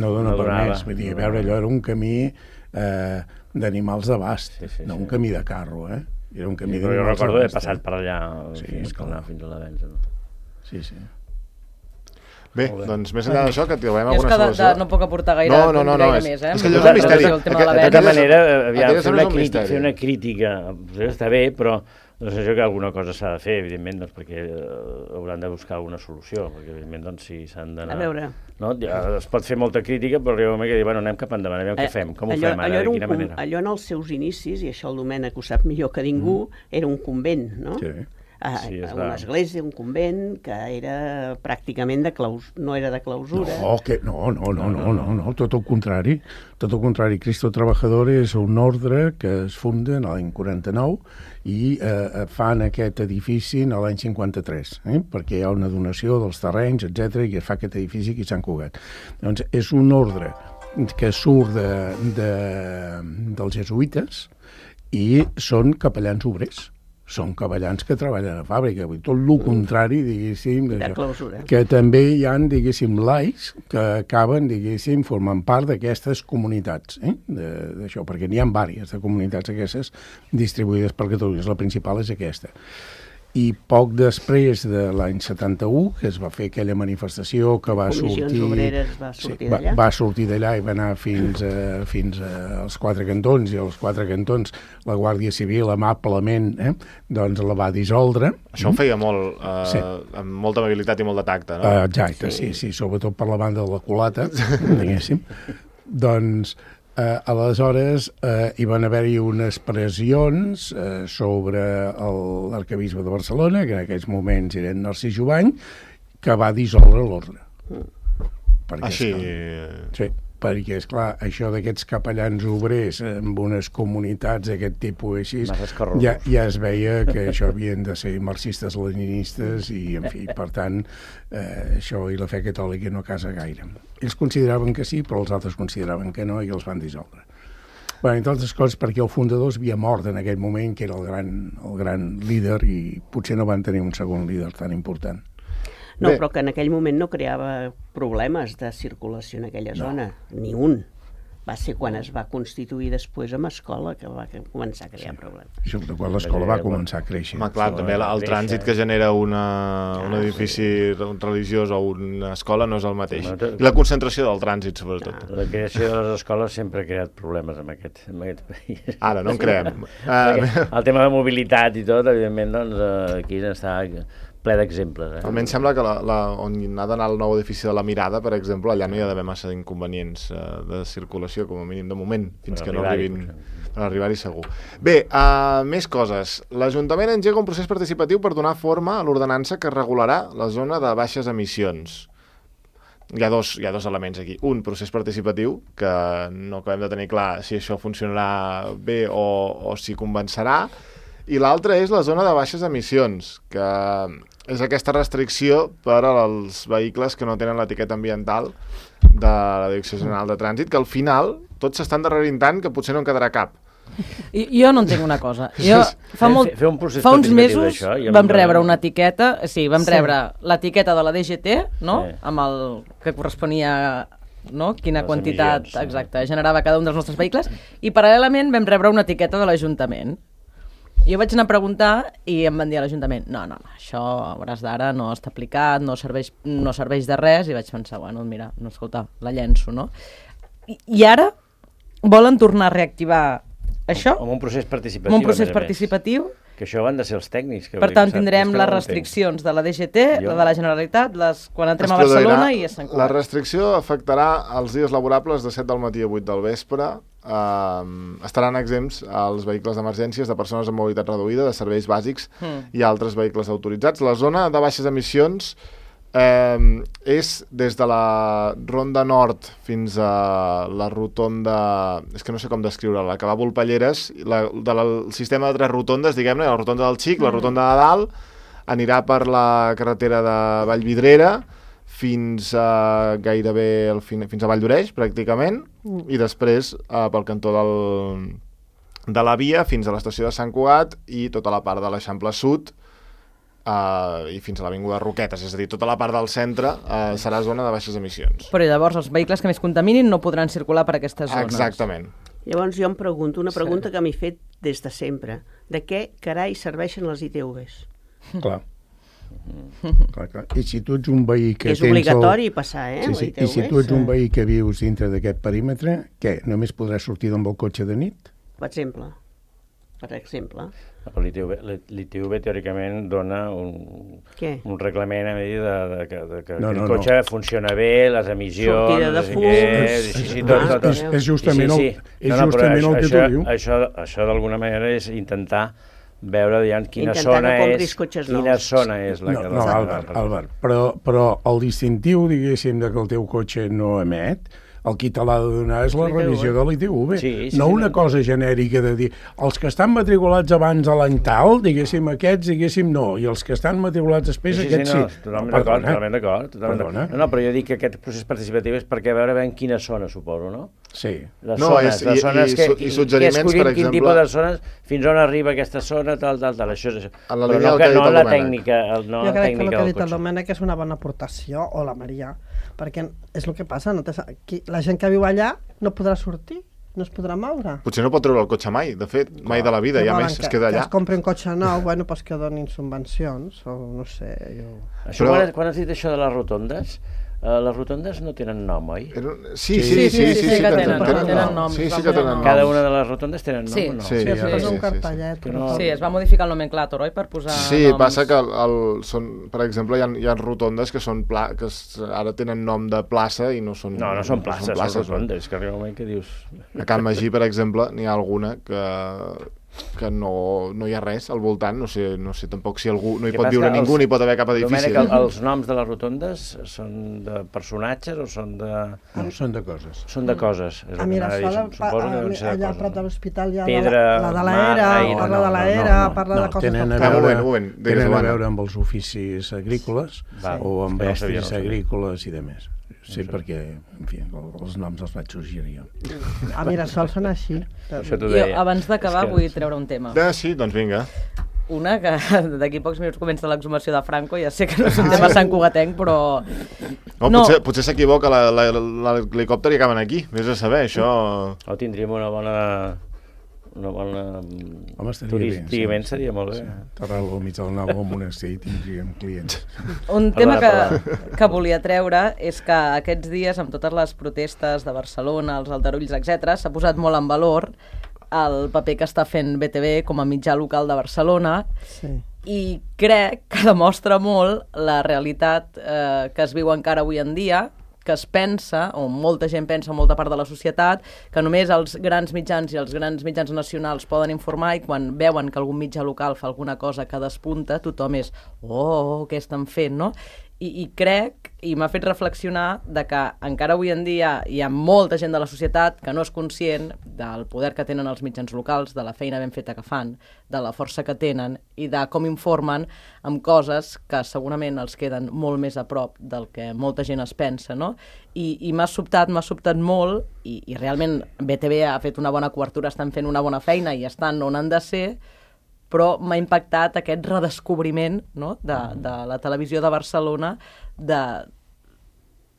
no dona no per donava, més. Vull dir, no a veure, donava. allò era un camí eh, d'animals d'abast, Sí, sí, no sí. un camí de carro, eh? Era un camí Sí, però jo d'animals recordo haver d'abast, passat eh? per allà Sí, fins, esclar. anar fins a l'Avenç. No? Sí, sí. Bé, Molt bé. doncs més enllà d'això, que trobem Jo és alguna que de, solució. de, no puc aportar gaire, No, no, no, no, gaire és- més, eh? és que allò és Amb un misteri. relació al tema de Aquest- la De aquest tota venda. és- manera, aviam, aquest fer és una, un crítica, misteri. fer una crítica potser està bé, però doncs, això que alguna cosa s'ha de fer, evidentment, doncs, perquè eh, hauran de buscar alguna solució, perquè evidentment doncs, si s'han d'anar... A veure. No? Ja, es pot fer molta crítica, però arriba un moment que dir, bueno, anem cap endavant, anem què fem, com ho allò, fem ara, allò, era de un quina com- manera. allò en els seus inicis, i això el Domènec ho sap millor que ningú, era un convent, no? Sí. Ah, Sí, és una clar. església, un convent, que era pràcticament de claus... no era de clausura. No, que, no, no, no, no, no, no, tot el contrari. Tot el contrari. Cristo Trabajador és un ordre que es funda en l'any quaranta-nou i eh, fan aquest edifici en l'any cinquanta-tres, eh? perquè hi ha una donació dels terrenys, etcètera, i es fa aquest edifici aquí a Sant Cugat. Doncs és un ordre que surt de, de, dels jesuïtes i són capellans obrers. Són capellans que treballen a fàbrica, vull dir, tot el contrari, diguéssim, De d'això. clausura. Que també hi ha, diguéssim, laics que acaben, diguéssim, formant part d'aquestes comunitats, eh? de- d'això, perquè n'hi ha diverses de comunitats aquestes distribuïdes per Catalunya. La principal és aquesta. I poc després de l'any setanta-u, que es va fer aquella manifestació que va Comissions sortir... Obreres va sortir va, d'allà. va sortir d'allà i va anar fins, a, fins a, als quatre cantons, i als quatre cantons la Guàrdia Civil amablement eh, doncs la va dissoldre. Això ho feia molt, eh, Sí. amb molta amabilitat i molt de tacte, no? Uh, exacte, sí. sí, sí, sobretot per la banda de la culata, diguéssim. Doncs, eh, aleshores, eh, hi van haver-hi unes pressions eh, sobre el- l'arquebisbe de Barcelona, que en aquells moments era Narcís Jovany, que va dissoldre l'ordre. Perquè, Així... esclar, sí, perquè, esclar, això d'aquests capellans obrers amb unes comunitats d'aquest tipus així, Massa escarrosos. ja, ja es veia que això havien de ser marxistes-leninistes i, en fi, per tant, eh, això i la fe catòlica no casa gaire. Ells consideraven que sí, però els altres consideraven que no i els van dissoldre. Bé, entre altres coses, perquè el fundador havia mort en aquell moment, que era el gran, el gran líder, i potser no van tenir un segon líder tan important. No, Bé. però que en aquell moment no creava problemes de circulació en aquella zona, ni un. Va ser quan es va constituir després amb escola que va començar a crear problemes. I sobretot quan l'escola va començar a créixer. Home, clar, Sí, també la- el créixer. trànsit que genera una, un edifici religiós o una escola no és el mateix. Bueno, tot- I la concentració del trànsit, sobretot. La creació de les escoles sempre ha creat problemes en aquest, en aquest país. Ara, no en creem. Perquè Uh, el tema de mobilitat i tot, evidentment, doncs, eh, aquí està ple d'exemples. Eh? almenys sembla que la, la, on ha d'anar el nou edifici de la Mirada, per exemple, allà no hi ha d'haver massa inconvenients uh, de circulació, com a mínim de moment, fins Per que no arribar-hi, arribin... potser. Per arribar-hi segur. Bé, uh, més coses. L'Ajuntament engega un procés participatiu per donar forma a l'ordenança que regularà la zona de baixes emissions. Hi ha dos, hi ha dos elements aquí. Un, procés participatiu, que no acabem de tenir clar si això funcionarà bé o, o si convencerà, i l'altre és la zona de baixes emissions, que és aquesta restricció per als vehicles que no tenen l'etiqueta ambiental de la Direcció General de Trànsit, que al final tots s'estan darrerint tant que potser no en quedarà cap. I, jo no entenc una cosa. Jo fa, molt, Fer- fer un procés fa uns participatiu mesos d'això i amb- vam rebre una etiqueta, sí, vam Sí. rebre l'etiqueta de la D G T, no? Sí. Amb el que corresponia, no? Quina Les quantitat emissions, sí. exacta generava cada un dels nostres vehicles, i paral·lelament vam rebre una etiqueta de l'Ajuntament. Jo vaig anar a preguntar i em van dir a l'Ajuntament no, no, no, això a hores d'ara no està aplicat, no serveix, no serveix de res, i vaig pensar, bueno, mira, no, escolta, la llenço, no? I, i ara volen tornar a reactivar això? Amb un procés participatiu. Amb un procés participatiu. Que això van de ser els tècnics. Que per tant, tindrem les restriccions de la D G T, jo... la de la Generalitat, les, quan entrem a Barcelona i a Sant Cugat. La restricció afectarà els dies laborables de set del matí a vuit del vespre. Uh, estaran exempts els vehicles d'emergències de persones amb mobilitat reduïda, de serveis bàsics mm. i altres vehicles autoritzats. La zona de baixes emissions eh, és des de la Ronda Nord fins a la rotonda, és que no sé com descriure-la, que va a Volpelleres, la, del sistema de tres rotondes, diguem-ne, la rotonda del Xic, mm. la rotonda de Dalt, anirà per la carretera de Vallvidrera fins a gairebé el fin, fins a Valldoreix, pràcticament, mm. i després eh, pel cantó del, de la via fins a l'estació de Sant Cugat i tota la part de l'Eixample Sud, Uh, i fins a l'Avinguda Roquetes, és a dir, tota la part del centre uh, serà zona de baixes emissions. Però llavors els vehicles que més contaminin no podran circular per aquestes zones. Exactament. Llavors jo em pregunto, una pregunta sí. que m'he fet des de sempre, de què carai serveixen les I T Vs? Clar. clar, clar. I si tu ets un veí que és tens obligatori el... passar, eh? Sí, sí. I si tu ets un veí que vius dintre d'aquest perímetre, què? Només podràs sortir amb el cotxe de nit? Per exemple. Per exemple. L'I T V, l'I T V teòricament dona un, un reglament a dir de, de, de, de que no, no, el cotxe no. funciona bé, les emissions... Sortida de fums... Sí, sí, tot, tot, tot. És, és justament, sí, sí. El, és no, no, justament això, el que això, tu diu. Això, això d'alguna manera és intentar veure diguem, quina intentar zona no és quina nous. zona és la no, que... No, Albert, Albert però, però el distintiu, diguéssim, de que el teu cotxe no emet, el qui te l'ha de donar és la revisió de l'I T V. Sí, sí, no sí, una sí. cosa genèrica de dir els que estan matriculats abans a l'any tal, diguéssim, aquests, diguéssim, no, i els que estan matriculats després, sí, sí, aquests sí. No, totalment d'acord, totalment d'acord. No, no, però jo dic que aquest procés participatiu és perquè a veure ben quina zona, suposo, no? Sí. Les no, zones, és, les i, zones i, que, i, i suggeriments, escollim, per exemple... quin tipus de zones, fins on arriba aquesta zona, tal, tal, tal, això és... En la però no, que, no la tècnica, no jo la crec tècnica que el que ha dit del el Domènec és una bona aportació, o la Maria, perquè és el que passa, no qui, la gent que viu allà no podrà sortir, no es podrà moure. Potser no pot treure el cotxe mai, de fet, mai de la vida, i a més que, es queda allà. Que es compri un cotxe nou, bueno, pues que donin subvencions, o no sé, jo... Això, Però... quan, quan has dit això de les rotondes, uh, les rotondes no tenen nom, oi? Sí, sí, sí, sí, sí, sí, sí que tenen, tenen, tenen nom. Sí, sí que tenen nom. Cada una de les rotondes tenen nom sí. o no? Sí, sí, sí, sí, sí, sí, un sí, cartellet. sí. No... Sí, es va modificar el nomenclàtor, oi, per posar Sí, noms. passa que el, el, són, per exemple, hi ha, hi ha rotondes que són pla, que es, ara tenen nom de plaça i no són... No, no són places, no són, places, són rotondes, no. que arriba un moment que dius... A Can Magí, per exemple, n'hi ha alguna que... que no, no hi ha res al voltant, no sé, no sé tampoc si algú no hi pot viure ningú, ni pot haver cap edifici. Domènec, els noms de les rotondes són de personatges o són de... No, són de coses. Són de coses. És a Mirasol, allà a prop de l'hospital hi ha Pedra, la de l'era, parla de l'era, parla de coses... Tenen a veure, tenen a veure amb els oficis agrícoles o amb estris agrícoles i demés. Sí, perquè, en fi, els noms els vaig sorgir jo. A Mirasol són així. Jo, abans d'acabar, vull treure un tema. Ah, sí, doncs vinga. Una que d'aquí pocs minuts comença l'exhumació de Franco, ja sé que no és un tema santcugatenc, però... No, no. Potser, potser s'equivoca l'helicòpter i acaben aquí, vés a saber, això... O tindríem una bona... una bona... Home, turísticament sí, seria molt bé. Sí. Terral al mig del nou al monestir i tindríem clients. Un tema que, que volia treure és que aquests dies, amb totes les protestes de Barcelona, els aldarulls, etcètera, s'ha posat molt en valor el paper que està fent B T V com a mitjà local de Barcelona, sí. I crec que demostra molt la realitat eh, que es viu encara avui en dia, que es pensa, o molta gent pensa, molta part de la societat, que només els grans mitjans i els grans mitjans nacionals poden informar i quan veuen que algun mitjà local fa alguna cosa que despunta, tothom és, oh, què estan fent, no? I, i crec, i m'ha fet reflexionar, de que encara avui en dia hi ha molta gent de la societat que no és conscient del poder que tenen els mitjans locals, de la feina ben feta que fan, de la força que tenen i de com informen amb coses que segurament els queden molt més a prop del que molta gent es pensa, no? I, i m'ha sobtat, m'ha sobtat molt, i, i realment B T V ha fet una bona cobertura, estan fent una bona feina i estan on han de ser, però m'ha impactat aquest redescobriment, no?, de, de la televisió de Barcelona, de,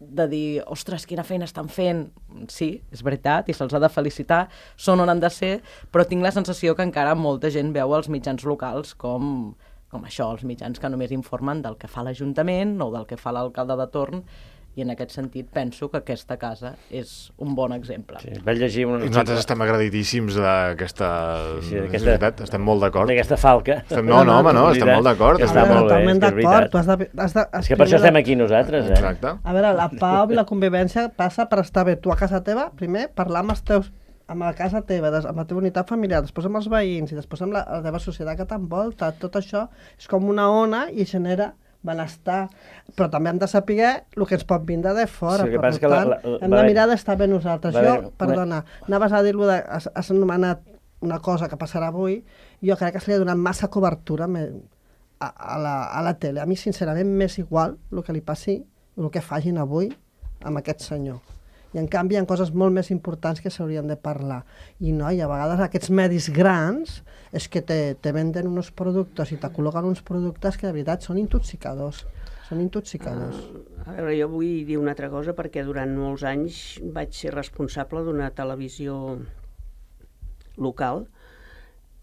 de dir, ostres, quina feina estan fent. Sí, és veritat, i se'ls ha de felicitar, són on han de ser, però tinc la sensació que encara molta gent veu els mitjans locals com, com això, els mitjans que només informen del que fa l'Ajuntament o del que fa l'alcalde de torn, i en aquest sentit penso que aquesta casa és un bon exemple. Sí, vaig llegir un... I nosaltres estem agradidíssims d'aquesta... Sí, sí, és veritat, estem molt d'acord. D'aquesta falca. Estem... No, no, home, no, estem molt d'acord. Està A veure, molt bé, totalment és que és d'acord. Tu veritat. has de, has de, has És que per això estem aquí nosaltres, eh? Exacte. A veure, la pau i la convivència passa per estar bé tu a casa teva, primer parlar amb els teus amb la casa teva, des- amb la teva unitat familiar, després amb els veïns i després amb la, la teva societat que t'envolta. Tot això és com una ona i genera benestar, però també hem de saber el que ens pot vindre de fora. Sí, el que per passa és que la- tant, la- la- hem va de haver- mirar d'estar bé nosaltres. va Jo, haver- perdona, anaves a dir-lo de... Has, has anomenat una cosa que passarà avui, jo crec que se li ha donat massa cobertura me- a, a, la, a la tele. A mi, sincerament, m'és igual el que li passi, el que facin avui amb aquest senyor. I, en canvi, hi ha coses molt més importants que s'haurien de parlar. I, no, i a vegades aquests medis grans és que te, te venden uns productes i te col·loquen uns productes que, de veritat, són intoxicadors. Són intoxicadors. Uh, a veure, jo vull dir una altra cosa perquè durant molts anys vaig ser responsable d'una televisió local.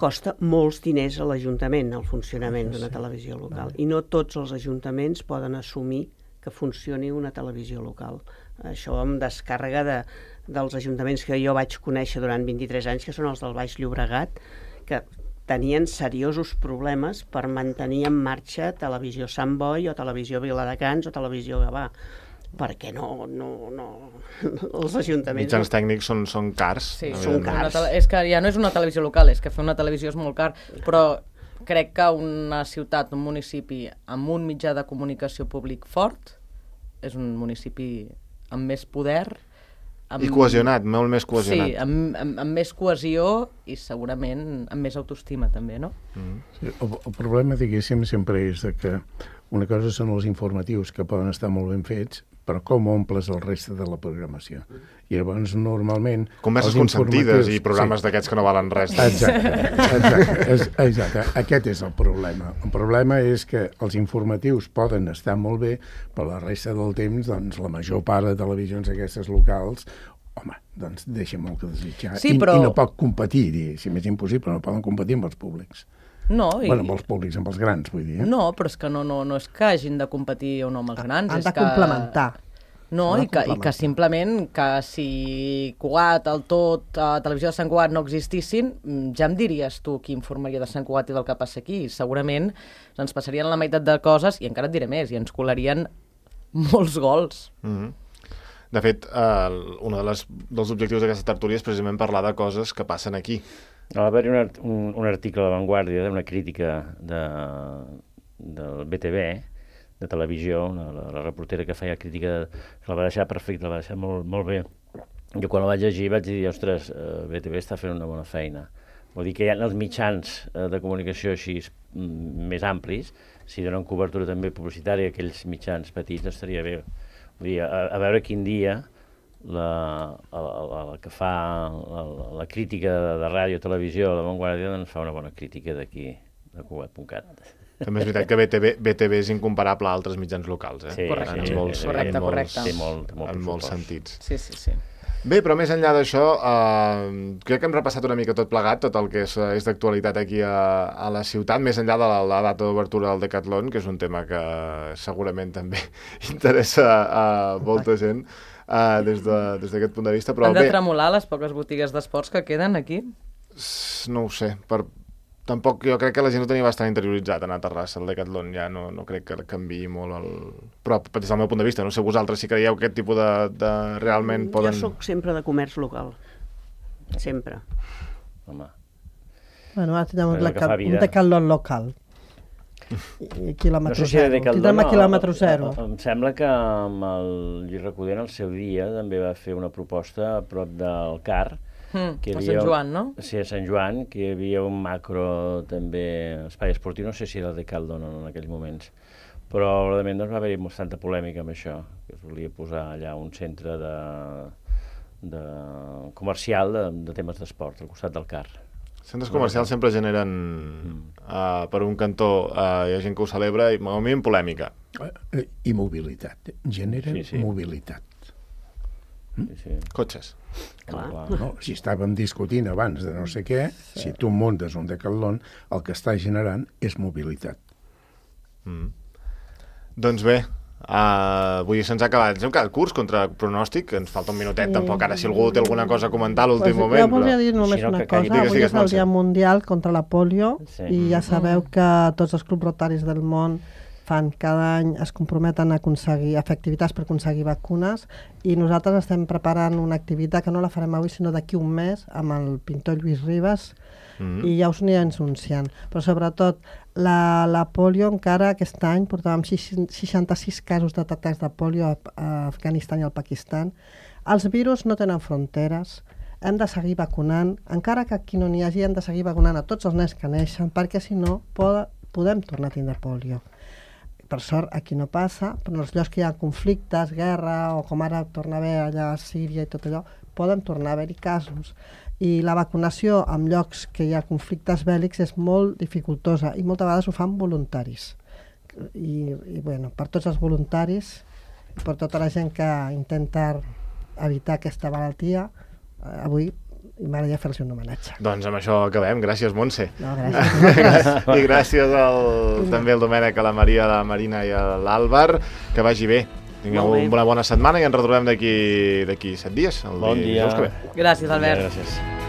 Costa molts diners a l'Ajuntament el funcionament d'una televisió local i no tots els ajuntaments poden assumir que funcioni una televisió local. Això em descàrrega de, dels ajuntaments que jo vaig conèixer durant vint-i-tres anys, que són els del Baix Llobregat, que tenien seriosos problemes per mantenir en marxa Televisió Sant Boi o Televisió Viladecans o Televisió Gavà, perquè no, no, no, els ajuntaments... Mitjans tècnics són, són cars. Sí, Són evidentment. una cars. tele... és que ja no és una televisió local, és que fer una televisió és molt car, però crec que una ciutat, un municipi amb un mitjà de comunicació públic fort és un municipi amb més poder, amb... I cohesionat, molt més cohesionat. Sí, amb, amb, amb més cohesió i segurament amb més autoestima també, no? Mm. Sí, el, el problema, diguéssim, sempre és de que una cosa són els informatius, que poden estar molt ben fets, però com omples el reste de la programació. I llavors, normalment... Converses els consentides informatius- i programes sí. d'aquests que no valen res. Exacte, exacte, és, exacte. Aquest és el problema. El problema és que els informatius poden estar molt bé, però la resta del temps, doncs, la major part de televisions aquestes locals, home, doncs deixa molt que desitjar. Sí, però- I, I no pot competir, si és impossible, no poden competir amb els públics. No, i... Bueno, amb els públics, amb els grans, vull dir. Eh? No, però és que no, no, no és que hagin de competir o no amb els grans. Han és de que... complementar. No, S'ha de i que, i que complementar. simplement que si Cugat, el Tot, a Televisió de Sant Cugat no existissin, mm, ja em diries tu qui informaria de Sant Cugat i del que passa aquí. Segurament ens passarien la meitat de coses, i encara et diré més, i ens colarien molts gols. Mm -hmm. De fet, eh, un de les, dels objectius d'aquesta tertúlia és precisament parlar de coses que passen aquí. Va haver-hi un, art- un, un article a La Vanguardia d'una crítica de, del B T V, de televisió, una, la, la reportera que feia crítica, que la va deixar perfecta, la va deixar molt, molt bé. Jo quan la vaig llegir vaig dir, ostres, eh, B T V està fent una bona feina. Vol dir que hi ha els mitjans eh, de comunicació així mm, més amplis, si donen cobertura també publicitària a aquells mitjans petits, estaria bé. Vull dir, a, a veure quin dia la, la, la, la que fa la, la crítica de, de ràdio i televisió, la Vanguardia, doncs fa una bona crítica d'aquí, de Cugat punt cat. També és veritat que B T V, B T V és incomparable a altres mitjans locals, eh? Sí, Correcte. En sí, molts, sí, correcte, en molts, correcte. Té molt, té molt en molts pressupost. sentits. Sí, sí, sí. Bé, però més enllà d'això, eh, crec que hem repassat una mica tot plegat, tot el que és, és d'actualitat aquí a, a la ciutat, més enllà de la, la data d'obertura del Decathlon, que és un tema que segurament també interessa a molta gent eh, des de, des d'aquest punt de vista. Però Han de bé, tremolar les poques botigues d'esports que queden aquí? no ho sé, per... Tampoc, jo crec que la gent ho tenia bastant interioritzat anar a Terrassa, el Decathlon, ja no, no crec que canviï molt el... Però des del meu punt de vista, no sé vosaltres si creieu que aquest tipus de... de realment poden... Jo sóc sempre de comerç local. Sempre. Home, Bueno, ara tindrem un, Però que fa deca- vida. un decathlon local. I, i quilòmetre no sé si de zero. Decathlon, Tindrem a no, quilòmetre zero. Em sembla que amb el Lluís Recoder en el seu dia també va fer una proposta a prop del Car, Mm, que hi a havia- Sant Joan, no? Sí, a Sant Joan, que hi havia un macro també espai esportiu, no sé si era el Decathlon en aquells moments, però probablement doncs, va haver-hi bastanta polèmica amb això, que es volia posar allà un centre de, de comercial de, de temes d'esport al costat del Car. Centres comercials sempre generen, uh, per un cantó, uh, hi ha gent que ho celebra, i a mi en polèmica. Uh, I mobilitat. Generen sí, sí. mobilitat. Sí, sí. Cotxes. Clar. No, si estàvem discutint abans de no sé què, sí. si tu muntes un Decathlon, el que està generant és mobilitat. Mm. Doncs bé, uh, vull dir, se'ns ha acabat. Ens hem quedat curts contra pronòstic, ens falta un minutet, sí. Tampoc ara si algú té alguna cosa a comentar a l'últim pues moment. Jo volia dir només si no, una cosa, digues, avui digues, és el Dia Mundial contra la polio sí. i ja sabeu que tots els clubs rotaris del món fan cada any, es comprometen a aconseguir, a fer activitats per aconseguir vacunes i nosaltres estem preparant una activitat que no la farem avui sinó d'aquí un mes amb el pintor Lluís Ribas mm-hmm. i ja us anirem anunciant. Però sobretot la, la polio encara aquest any portàvem seixanta-sis casos detectats de polio a, a Afganistan i al Pakistan. Els virus no tenen fronteres, hem de seguir vacunant, encara que aquí no n'hi hagi, hem de seguir vacunant a tots els nens que neixen perquè si no pod podem tornar a tindre polio. Per sort, aquí no passa, però en els llocs que hi ha conflictes, guerra, o com ara torna a haver allà a Síria i tot allò, poden tornar a haver-hi casos. I la vacunació en llocs que hi ha conflictes bèl·lics és molt dificultosa i moltes vegades ho fan voluntaris. I, i bueno, per tots els voluntaris, per tota la gent que intenta evitar aquesta malaltia, eh, avui m'agradaria fer-los un homenatge. Doncs amb això acabem. Gràcies, Montse. No, gràcies. I gràcies al, també al Domènec, a la Maria, a la Marina i a l'Àlvar. Que vagi bé. Tingueu una bona setmana i ens retrobem d'aquí set dies. El bon dia. dia. Gràcies, Albert. Gràcies.